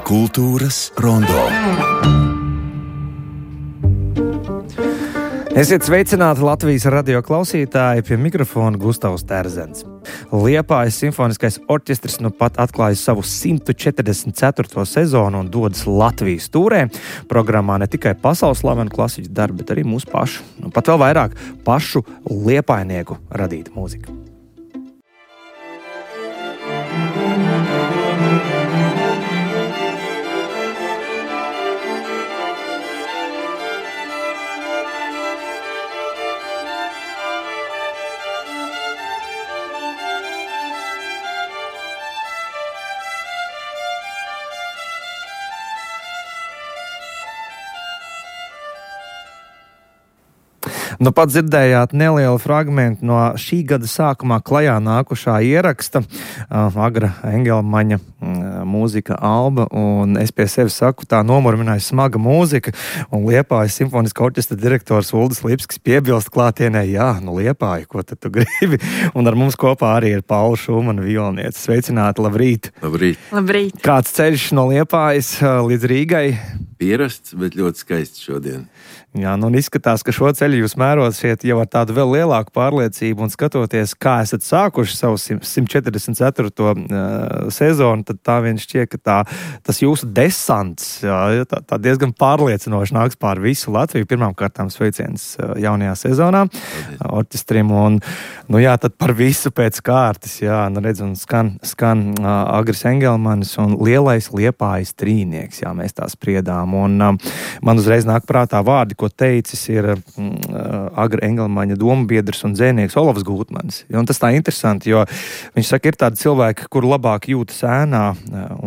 Kultūras rondo. Esiet sveicināti Latvijas radio klausītāji, pie mikrofona Gustavs Terzens. Liepājas simfoniskais orķestris nu pat atklāja savu 144. sezonu un dodas Latvijas tūrē. Programmā ne tikai pasaules slavenu klasiķu darbi, bet arī mūsu pašu, pat vēl vairāk pašu liepājnieku radīta mūzika. Nu, pat dzirdējāt nelielu fragmentu no šī gada sākumā klajā nākušā ieraksta, Agra Engelmaņa mūzika alba, un es pie sevis saku, tā nomurmināja smaga mūzika, un Liepājas simfoniskā orķestra direktors Uldis Lipskis piebilst klātienē, jā, nu Liepāja, ko tad tu gribi, un ar mums kopā arī ir Paula Šumana violniece. Sveicināti, labrīt! Labrīt! Labrīt! Kāds ceļš no Liepājas līdz Rīgai? Pierasts, bet ļoti skaists šodien. Jā, nu un izskatās, ka šo ceļu jūs mērosiet jau ar tādu vēl lielāku pārliecību un skatoties, kā esat sākuši savu 144. Sezonu, tad tā vien šķiet, ka tas jūsu desants tā diezgan pārliecinoši nāks pār visu Latviju. Pirmkārtām sveiciens jaunajā sezonā orķestrim un, nu jā, tad par visu pēc kārtas, jā, nu redz, un skan Agris Engelmanis un lielais Liepājas trīnieks, jā, mēs tā spriedām. Un man uzreiz nāk prātā vārdi, ko teicis ir Agra Engelmaņa dombiedrs un dzēnieks Olavs Gūtmanis. Un tas tā interesanti, jo viņš saka, ir tādi cilvēki, kur labāk jūtas ēnā,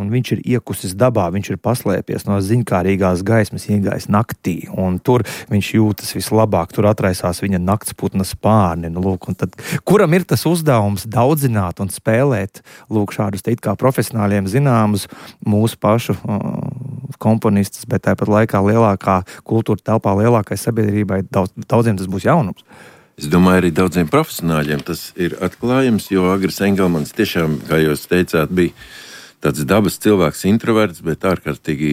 un viņš ir iekusis dabā, viņš ir paslēpies no ziņkārīgās gaismas, iegājis naktī, un tur viņš jūtas vislabāk, tur atraisās viņa naktsputna spārni. Nu, lūk, un tad, kuram ir tas uzdevums daudzināt un spēlēt, lūk, šādus te it kā profesionāļiem zināmus mūsu pašu komponistus, bet tāpat laikā lielākā kultūra telpā, lielākai sabiedrībai, daudziem tas būs jaunums. Es domāju, arī daudziem profesionāļiem tas ir atklājums, jo Agris Engelmanis tiešām, kā jūs teicāt, bija tāds dabas cilvēks, introverts, bet ārkārtīgi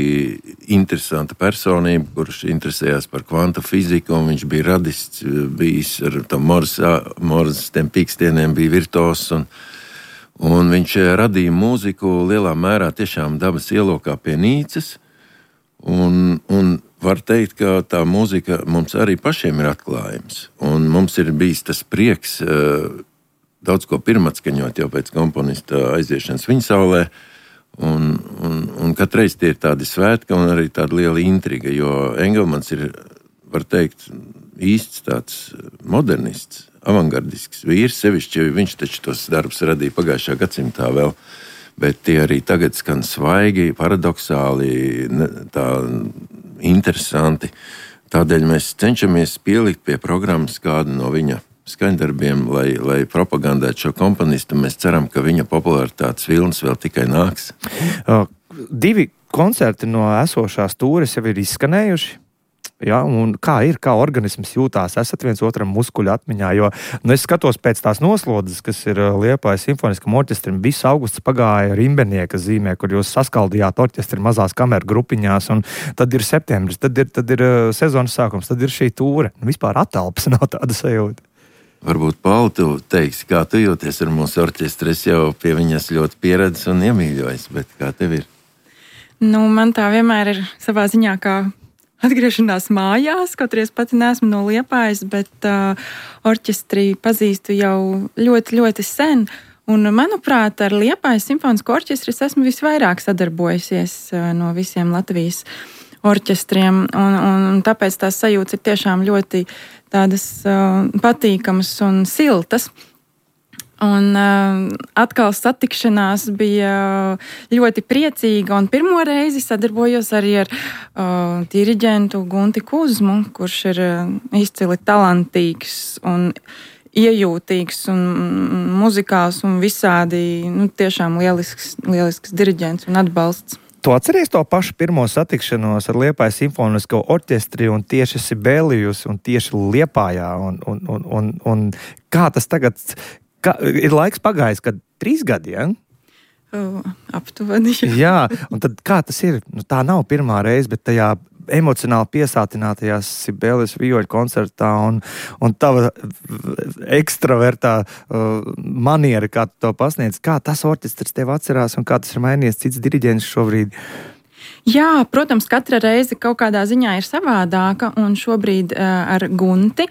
interesanta personība, kurš interesējās par kvantu fiziku, un viņš bija radists, bijis ar tam Morzes tiem pīkstieniem, bija virtuos, un viņš radīja mūziku lielā mērā tiešām dabas ielokā pie Nīcas, un var teikt, ka tā mūzika mums arī pašiem ir atklājums. Un mums ir bijis tas prieks daudz ko pirmatskaņot jau pēc komponista aiziešanas viņasaulē. Un katreiz tie ir tādi svētki un arī tāda liela intriga, jo Engelmans ir, var teikt, īsts tāds modernists, avangardisks vīrs, sevišķi viņš taču tos darbus radīja pagājušā gadsimtā vēl. Bet tie arī tagad skan svaigi, paradoxāli, tā interesanti. Tādēļ mēs cenšamies pielikt pie programmas kādu no viņa skaņdarbiem, lai propagandētu šo komponistu. Mēs ceram, ka viņa popularitātes vilnis vēl tikai nāks. 2 koncerti no esošās tūres jau ir izskanējuši. Ja, un kā organisms jūtās, esat viens otram muskuļu atmiņā, jo es skatos pēc tās noslodzes, kas ir Liepājas simfoniskam orķestrim, visu augusts pagāja Rimbenieka zīmē, kur jūs saskaldījāt orķestri mazās kameru grupiņās, un tad ir septembris, tad ir sezonas sākums, tad ir šī tūre. Vispār atelpas nav tāda sajūta. Varbūt, Paula, tu teiksi, kā tu jūties ar mūsu orķestri, es jau pie viņas ļoti pieredzis un iemīļojis, bet kā tev ir? Nu, man tā vienmēr ir savā ziņā kā atgriešanās mājās, kaut arī es pati neesmu no Liepājas, bet orķestri pazīstu jau ļoti, ļoti sen. Un, manuprāt, ar Liepājas simfonisko orķestri es esmu visvairāk sadarbojusies no visiem Latvijas orķestriem. Un tāpēc tās sajūtas ir tiešām ļoti tādas patīkamas un siltas. Un atkal satikšanās bija ļoti priecīga, un pirmo reizi sadarbojos arī ar diriģentu Gunti Kuzmu, kurš ir izcili talantīgs un iejūtīgs un muzikāls un visādi, tiešām lielisks diriģents un atbalsts. Tu atceries to pašu pirmo satikšanos ar Liepājas simfonisko orķestri un tieši Sibelijus un tieši Liepājā un kā tas tagad, ir laiks pagājis, kad 3 gadi, ja? Aptuveni. Jā, un tad kā tas ir? Tā nav pirmā reize, bet tajā emocionāli piesātinātajā Sibelijus vioļu koncertā un tava ekstravertā maniera, kā tu to pasniedz, kā tas orķestrs tev atcerās un kā tas ir mainījies cits diriģents šobrīd? Jā, protams, katra reize kaut kādā ziņā ir savādāka, un šobrīd ar Gunti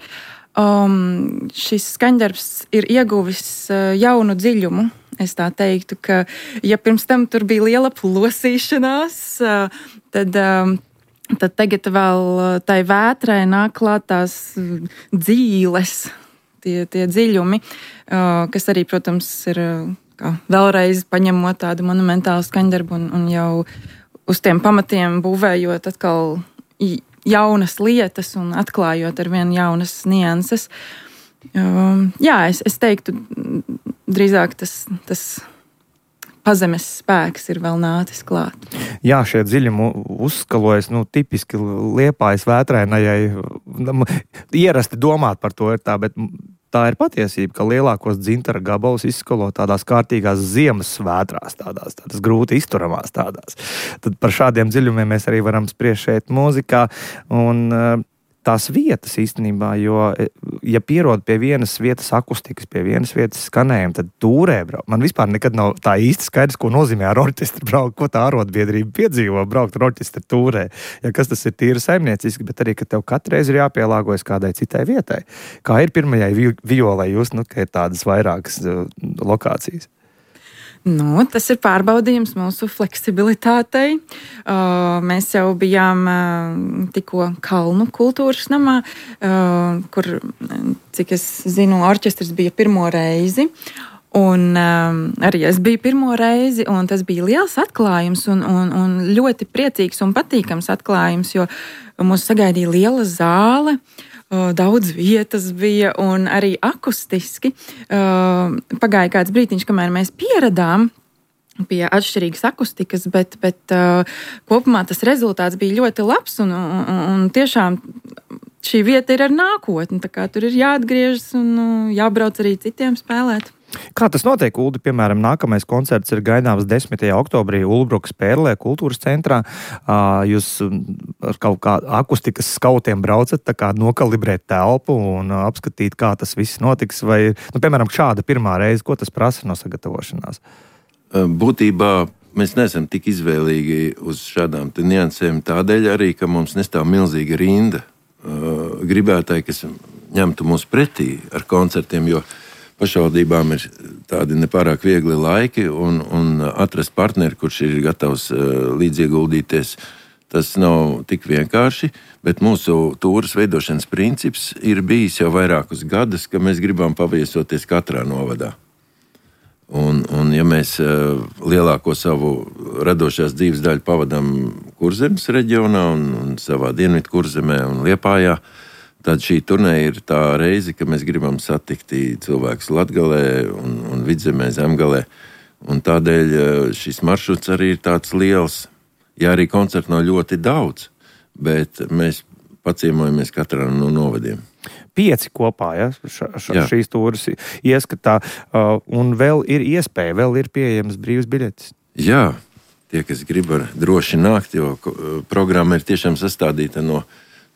šis skaņdarbs ir ieguvis jaunu dziļumu. Es tā teiktu, ka ja pirms tam tur bija liela plosīšanās, tad tagad vēl tai vētrai nāk klāt tās dzīles, tie dziļumi, kas arī, protams, ir vēlreiz paņemot tādu monumentālu skaņdarbu un jau uz tiem pamatiem būvējot atkal jaunas lietas un atklājot ar vien jaunas nianses. Jā, es teiktu, drīzāk tas pazemes spēks ir vēl nācis klāt. Jā, šie dziļumi uzskalojas, tipiski Liepājas vētrainajai. Ierasti domāt par to ir tā, bet tā ir patiesība, ka lielākos dzintara gabalus izskalo tādās kārtīgās ziemas vētrās, tādās grūti izturamās tādās. Tad par šādiem dziļumiem mēs arī varam spriest šeit mūzikā un tās vietas īstenībā, jo, ja pierod pie vienas vietas akustikas, pie vienas vietas skanējuma, tad tūrē braukt. Man vispār nekad nav tā īsti skaidrs, ko nozīmē ar orķestri braukt, ko tā arotbiedrība piedzīvo braukt ar orķestri tūrē. Ja kas tas ir tīri saimnieciski, bet arī, ka tev katreiz ir jāpielāgojas kādai citai vietai. Kā ir pirmajai violai jūs, ka ir tādas vairākas lokācijas? Tas ir pārbaudījums mūsu fleksibilitātei. Mēs jau bijām tikko Kalnu kultūras namā, kur, cik es zinu, orķestris bija pirmo reizi. Un arī es biju pirmo reizi, un tas bija liels atklājums un ļoti priecīgs un patīkams atklājums, jo mūs sagaidīja liela zāle. Daudz vietas bija un arī akustiski. Pagāja kāds brītiņš, kamēr mēs pieradām pie atšķirīgas akustikas, bet kopumā tas rezultāts bija ļoti labs un tiešām šī vieta ir ar nākotni, tā kā tur ir jāatgriežas un jābrauc arī citiem spēlēt. Kā tas notiek, Uldi? Piemēram, nākamais koncerts ir gaidāms 10. oktobrī Ulbrukas Pērlē kultūras centrā. Jūs ar kaut kā akustikas skautiem braucat, tā kā nokalibrēt telpu un apskatīt, kā tas viss notiks, vai, piemēram, šāda pirmā reize, ko tas prasa no sagatavošanās? Būtībā mēs neesam tik izvēlīgi uz šādām niansēm tādēļ arī, ka mums nestāv milzīga rinda gribētāji, kas ņemtu mūs pretī ar koncertiem, jo pašvaldībām ir tādi nepārāk viegli laiki un atrast partneri, kurš ir gatavs līdzieguldīties. Tas nav tik vienkārši, bet mūsu tūras veidošanas princips ir bijis jau vairākus gadus, ka mēs gribam paviesoties katrā novadā. Un ja mēs lielāko savu radošās dzīves daļu pavadām Kurzemes reģionā un savā dienvidu Kurzemē un Liepājā, tad šī turnēja ir tā reize, ka mēs gribam satikt cilvēkus Latgalē un Vidzemē, Zemgalē. Un tādēļ šis maršruts arī ir tāds liels. Ja arī koncertu nav ļoti daudz, bet mēs paciemojamies katrā no novadiem. 5 kopā, ja, šīs tūras ieskatā, un vēl ir iespēja, vēl ir pieejams brīvs biļetes. Jā, tie, kas grib, var droši nākt, jo programma ir tiešām sastādīta no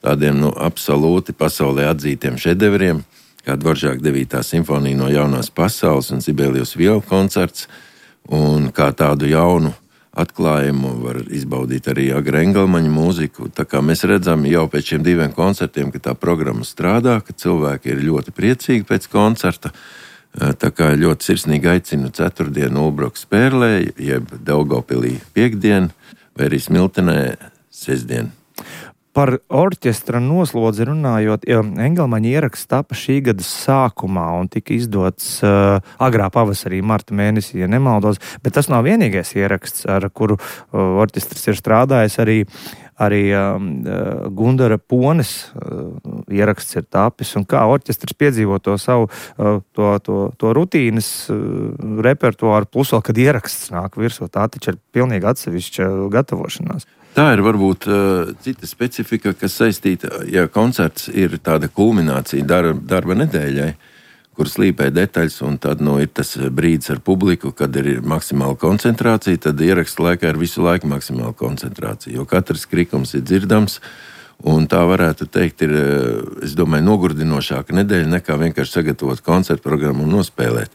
tādiem absolūti pasaulē atzītiem šedevriem, kā Dvoržāka 9. simfonija no jaunās pasaules un Sibelijus violu koncerts, un kā tādu jaunu atklājumu var izbaudīt arī Agra Engelmaņa mūziku. Tā kā mēs redzam jau pēc šiem 2 koncertiem, ka tā programma strādā, ka cilvēki ir ļoti priecīgi pēc koncerta. Tā kā ļoti sirsnīgi aicinu 4. Ulbrukas Pērlē, jeb Daugavpilī 5. vai arī Smiltenē 6. Par orķestra noslodzi runājot, Engelmaņa ieraksts tapa šī gada sākumā un tika izdots agrā pavasarī, marta mēnesī, ja nemaldos, bet tas nav vienīgais ieraksts, ar kuru orķestris ir strādājis. Arī Gundara Pones ieraksts ir tapis un kā orķestris piedzīvo to savu to rutīnas repertuāru, plus vēl, kad ieraksts nāk virsū. Tā taču ir pilnīgi atsevišķa gatavošanās. Tā ir varbūt cita specifika, kas saistīta, ja koncerts ir tāda kulminācija darba nedēļai, kur slīpē detaļas, un tad ir tas brīdis ar publiku, kad ir maksimāla koncentrācija, tad ieraksta laikā ir visu laiku maksimāla koncentrācija, jo katrs krikums ir dzirdams, un tā varētu teikt ir, es domāju, nogurdinošāka nedēļa nekā vienkārši sagatavot koncertu programmu un nospēlēt.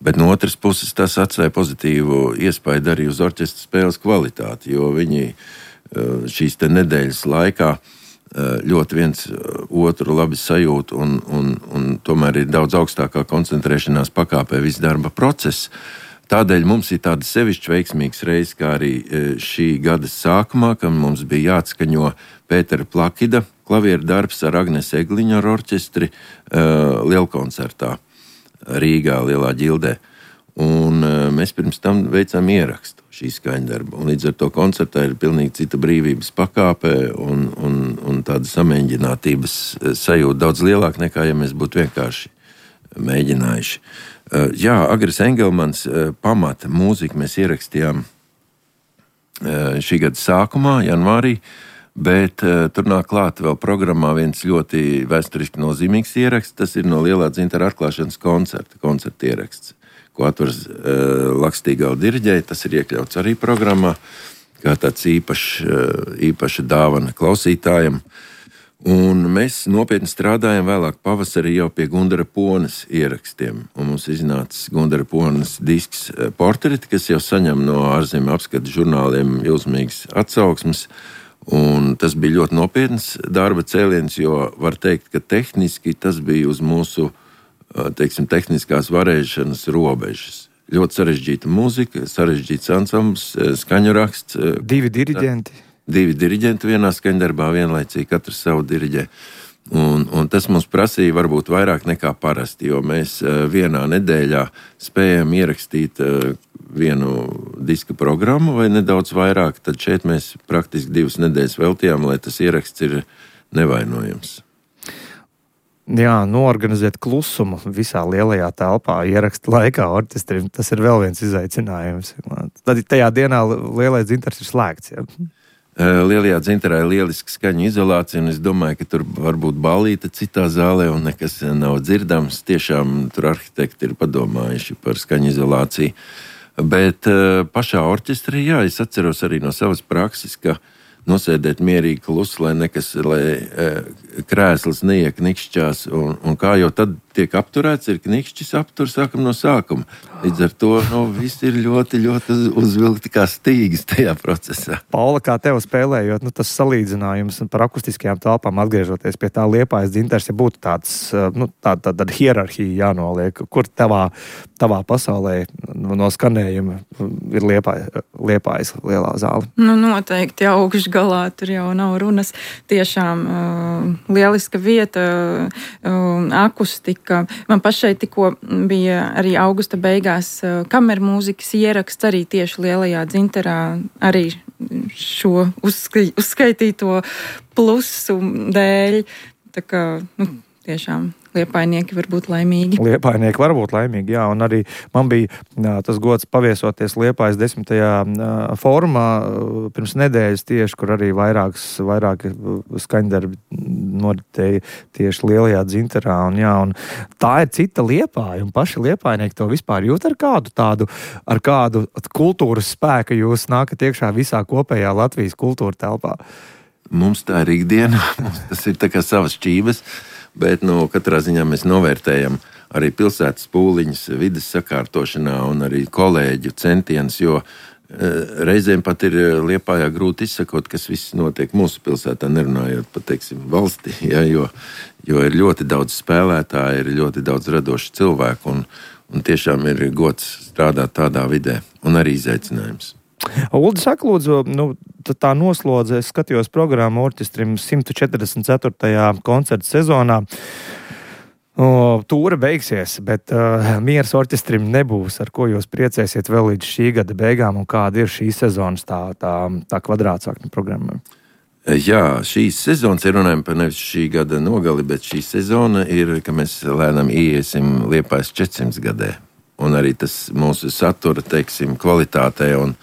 Bet no otras puses tas atstāja pozitīvu iespaidu arī uz orķestra spēles kvalitāti, jo viņi šīs te nedēļas laikā ļoti viens otru labi sajūt un tomēr ir daudz augstākā koncentrēšanās pakāpē viss darba process. Tādēļ mums ir tāda sevišķi veiksmīgs reizes, kā arī šī gada sākumā, kad mums bija jāatskaņo Pētera Plakida klavieru darbs ar Agnes Egliņu ar orķestri lielkoncertā Rīgā, Lielā ģildē. Un mēs pirms tam veicām ierakstu šī skaņdarba. Un līdz ar to koncertā ir pilnīgi cita brīvības pakāpe un tāda samēģinātības sajūta daudz lielāka nekā, ja mēs būtu vienkārši mēģinājuši. Jā, Agris Engelmans pamata mūziku mēs ierakstījām šī gada sākumā, janvārī, bet tur nāk klāt vēl programmā viens ļoti vēsturiski nozīmīgs ieraksts. Tas ir no Lielā dzintara atklāšanas koncerta ieraksts, ko atvars Lakstīgala diriģēja. Tas ir iekļauts arī programmā, kā tāds īpaša dāvana klausītājiem. Un mēs nopietni strādājam vēlāk pavasarī jau pie Gundara Ponas ierakstiem. Un mums iznācis Gundara Ponas disks Portreti, kas jau saņem no ārzemju apskatu žurnāliem jūsmīgas atsauksmes. Un tas bija ļoti nopietns darba cēliens, jo var teikt, ka tehniski tas bija uz mūsu tehniskās varēšanas robežas. Ļoti sarežģīta mūzika, sarežģīts ansambls, skaņu raksts. Divi diriģenti vienā skaņdarbā vienlaicīgi, katrs savu diriģē. Un tas mums prasīja varbūt vairāk nekā parasti, jo mēs vienā nedēļā spējam ierakstīt vienu diska programmu vai nedaudz vairāk. Tad šeit mēs praktiski 2 nedēļas veltījām, lai tas ieraksts ir nevainojams. Jā, noorganizēt klusumu visā lielajā telpā ieraksta laikā orķestrim, tas ir vēl viens izaicinājums. Tad tajā dienā Lielais dzintars ir slēgts. Ja? Lielajā dzintarā ir lieliska skaņu izolācija, un es domāju, ka tur var būt ballīte citā zālē, un nekas nav dzirdams. Tiešām tur arhitekti ir padomājuši par skaņu izolāciju. Bet pašā orķestrī, jā, es atceros arī no savas prakses, ka nosēdēt mierīgi klusu, lai krēsls neieknikšķās, un kā jau tad tiek apturēts, ir knikšķis aptur, sākam no sākuma. Līdz ar to viss ir ļoti, ļoti uzvilkti kā stīgas tajā procesā. Paula, kā tev spēlējot, tas salīdzinājums par akustiskajām telpām, atgriežoties pie tā Liepājas dzintars, ja būtu tāda hierarhija jānoliek, kur tavā pasaulē no skanējuma ir Liepājas lielā zāle? Noteikti augšgalā, tur jau nav runas. Tiešām lieliska vieta, akustika. Man pašai tikko bija arī augusta beigās kameru mūzikas ieraksts arī tieši Lielajā dzintarā, arī šo uzskaitīto plusu dēļ. Tā kā, tiešām liepainieki var būt laimīgi. Liepainieki var būt laimīgi, jā, un arī man bija tas gods paviesoties Liepājas 10. fórumā pirms nedēļas tieši, kur arī vairāki skaņdarbi noritēja tieši Lielajā dzintarā, un tā ir cita Liepāja, un paši liepainieki to vispār jūt ar kādu kultūras spēku jūs nākat iekšā visā kopējā Latvijas kultūra telpā. Mums tā ir ikdiena, tas ir tā kā savas šķības. Bet katrā ziņā mēs novērtējam arī pilsētas pūliņus vides sakārtošanā un arī kolēģu centienus, jo reizēm pat ir Liepājā grūti izsakot, kas viss notiek mūsu pilsētā, nerunājot pat, valstī, ja, jo ir ļoti daudz spēlētāju, ir ļoti daudz radošu cilvēku un tiešām ir gods strādāt tādā vidē un arī izaicinājums. Uldi, saka, lūdzu, tā noslodze, es skatījos programmu orķestrim 144. koncerta sezonā. Tūre beigsies, bet miers orķestrim nebūs, ar ko jūs priecēsiet vēl līdz šī gada beigām, un kāda ir šī sezonas tā kvadrātsakņu programma? Jā, šīs sezonas ir runājama par nevis šī gada nogali, bet šī sezona ir, ka mēs lēnām iesim Liepājas 400 gadē. Un arī tas mūsu satura, teiksim, kvalitātē un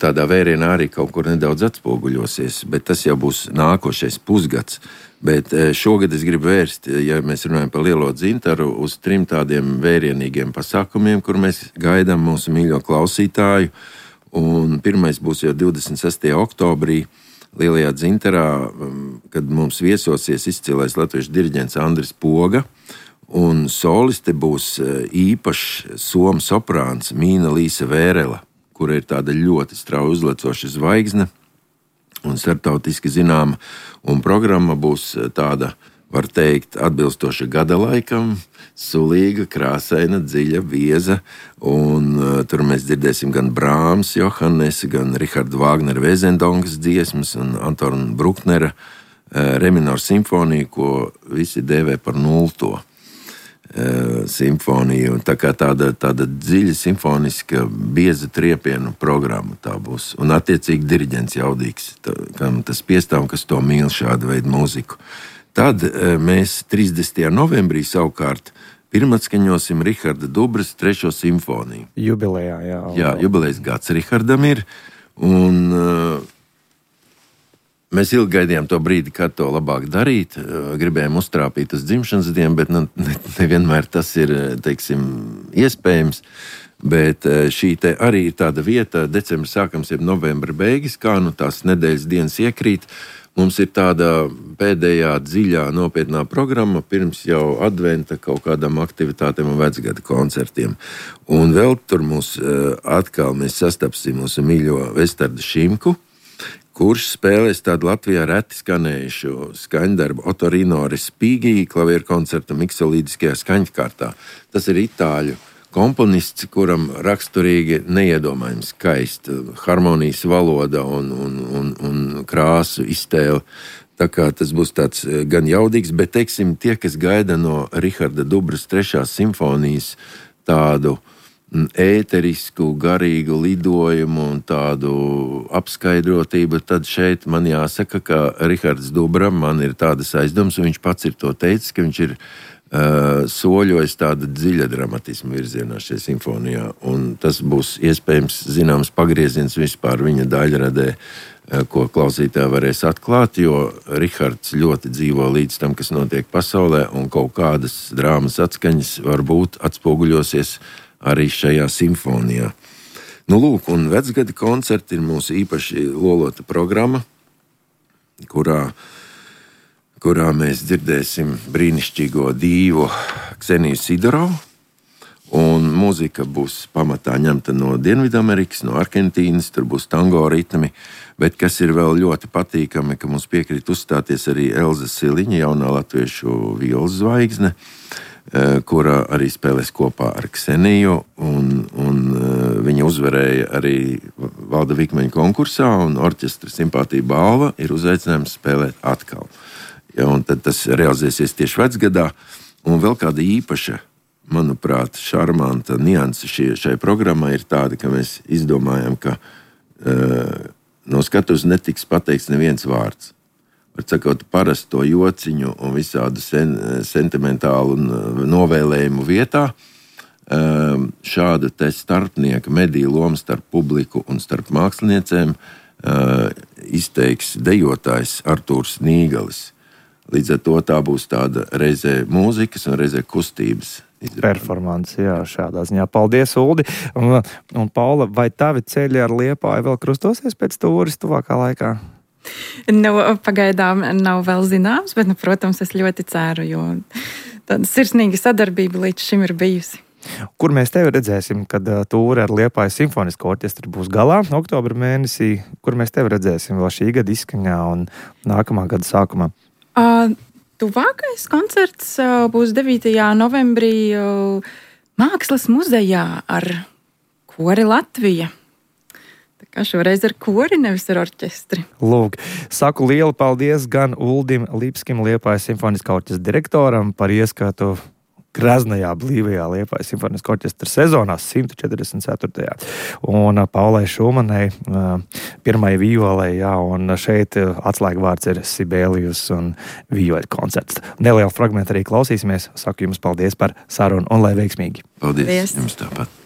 tādā vērienā arī kaut kur nedaudz atspoguļosies. Bet tas jau būs nākošais pusgads. Bet šogad es gribu vērst, ja mēs runājam par Lielo dzintaru, uz 3 tādiem vērienīgiem pasākumiem, kur mēs gaidām mūsu mīļo klausītāju. Un pirmais būs jau 26. oktobrī. Lielajā dzintarā, kad mums viesosies izcilais latviešu diriģents Andris Poga, un soliste būs īpašs somu soprāns Mīna Līsa Vērela, kura ir tāda ļoti strauji uzlecoša zvaigzne un starptautiski zināma, un programma būs tāda, var teikt, atbilstoša gada laikam, sulīga, krāsaina, dziļa, bieza, un tur mēs dzirdēsim gan Brāms, Johannesa, gan Richarda Vāgnera Vēzendongas dziesmas un Antona Bruknera Reminoru simfoniju, ko visi dēvē par 0. Simfoniju. Tā kā tāda dziļa simfoniska, bieza triepienu programma tā būs. Un attiecīgi diriģents jaudīgs, kam tas piestāv, kas to mīl šādu veidu mūziku. Tad mēs 30. novembrī savukārt pirmatskaņosim Riharda Dubras 3. simfoniju. Jubilejā, jā. Jā, jubilejas gads Rihardam ir, un mēs ilgi gaidījām to brīdi, kad to labāk darīt. Gribējām uztrāpīt uz dzimšanas dienu, bet nevienmēr tas ir, teiksim, iespējams. Bet šī te arī ir tāda vieta, decembra sākums ir novembra beigas, kā tās nedēļas dienas iekrīt. Mums ir tāda pēdējā dziļā nopietnā programma pirms jau adventa kaut kādām aktivitātēm un vecgada koncertiem. Un vēl tur atkal mēs sastapsim mūsu mīļo Vestardu Šimku, kurš spēlēs tādu Latvijā reti skanējušu skaņdarbu Otorino Respighi klavieru koncertu miksolīdiskajā skaņkārtā. Tas ir itāļu komponists, kuram raksturīgi neiedomājami skaista harmonijas valoda un krāsu iztēle. Tā kā tas būs tāds gan jaudīgs, bet, teiksim, tie, kas gaida no Riharda Dubras 3. simfonijas tādu ēterisku, garīgu lidojumu un tādu apskaidrotību, tad šeit man jāsaka, ka Rihards Dubra man ir tādas aizdomas, un viņš pats ir to teicis, ka viņš ir soļojas tāda dziļa dramatisma virzienā šajā simfonijā, un tas būs iespējams zināms pagrieziens vispār viņa daļradē, ko klausītāji varēs atklāt, jo Rihards ļoti dzīvo līdz tam, kas notiek pasaulē, un kaut kādas drāmas atskaņas varbūt atspoguļosies arī šajā simfonijā. Nu, lūk, un vecgada koncerti ir mūsu īpaši lolota programma, kurā mēs dzirdēsim brīnišķīgo dīvu Kseniju Sidorovu, un mūzika būs pamatā ņemta no Dienvidamerikas, no Argentīnas, tur būs tango ritmi, bet kas ir vēl ļoti patīkami, ka mums piekrīt uzstāties arī Elza Siliņa, jaunā latviešu violas zvaigzne, kura arī spēlēs kopā ar Kseniju, un viņa uzvarēja arī Valda Vikmeņa konkursā, un orķestra Simpātija balva ir uzaicinājums spēlēt atkal. Ja, un tad tas realizēsies tieši vecgadā, un vēl kāda īpaša, manuprāt, šarmanta nianse šai programmai ir tāda, ka mēs izdomājam, ka no skatuves netiks pateikts neviens vārds. Var sakot, parasto jociņu un visādu sentimentālu novēlējumu vietā šāda te starpnieka mediju loma starp publiku un starp māksliniecēm izteiks dejotājs Artūrs Nīgalis. Līdz ar to tā būs tāda reizē mūzikas un reizē kustības performance, jā, šādā ziņā. Paldies, Uldi. Un Paula, vai tavi ceļi ar Liepāju vēl krustosies pēc tūris tuvākā laikā? Pagaidām nav vēl zināms, bet, protams, es ļoti ceru, jo tāda sirsnīga sadarbība līdz šim ir bijusi. Kur mēs tevi redzēsim, kad tūre ar Liepājas simfonisko orķestru būs galā oktobra mēnesī? Kur mēs tevi redzēsim vēl šī gada izskaņā un nākamā gada sākumā? Tuvākais koncerts būs 9. novembrī Mākslas muzejā ar Kori Latvija. Tā kā šoreiz ar kori, nevis ar orķestri. Lūk, saku lielu paldies gan Uldim Lipskim, Liepājas simfoniskā orķestra direktoram, par ieskatu graznajā, blīvajā Liepājas simfoniskā orķestra sezonā 144. Un Paulai Šumanai pirmai violei, jā, un šeit atslēgvārds ir Sibelius un vioļu koncerts. Nelielu fragmentu arī klausīsimies. Saku jums paldies par sarunu un lai veiksmīgi. Paldies. Jums tāpat.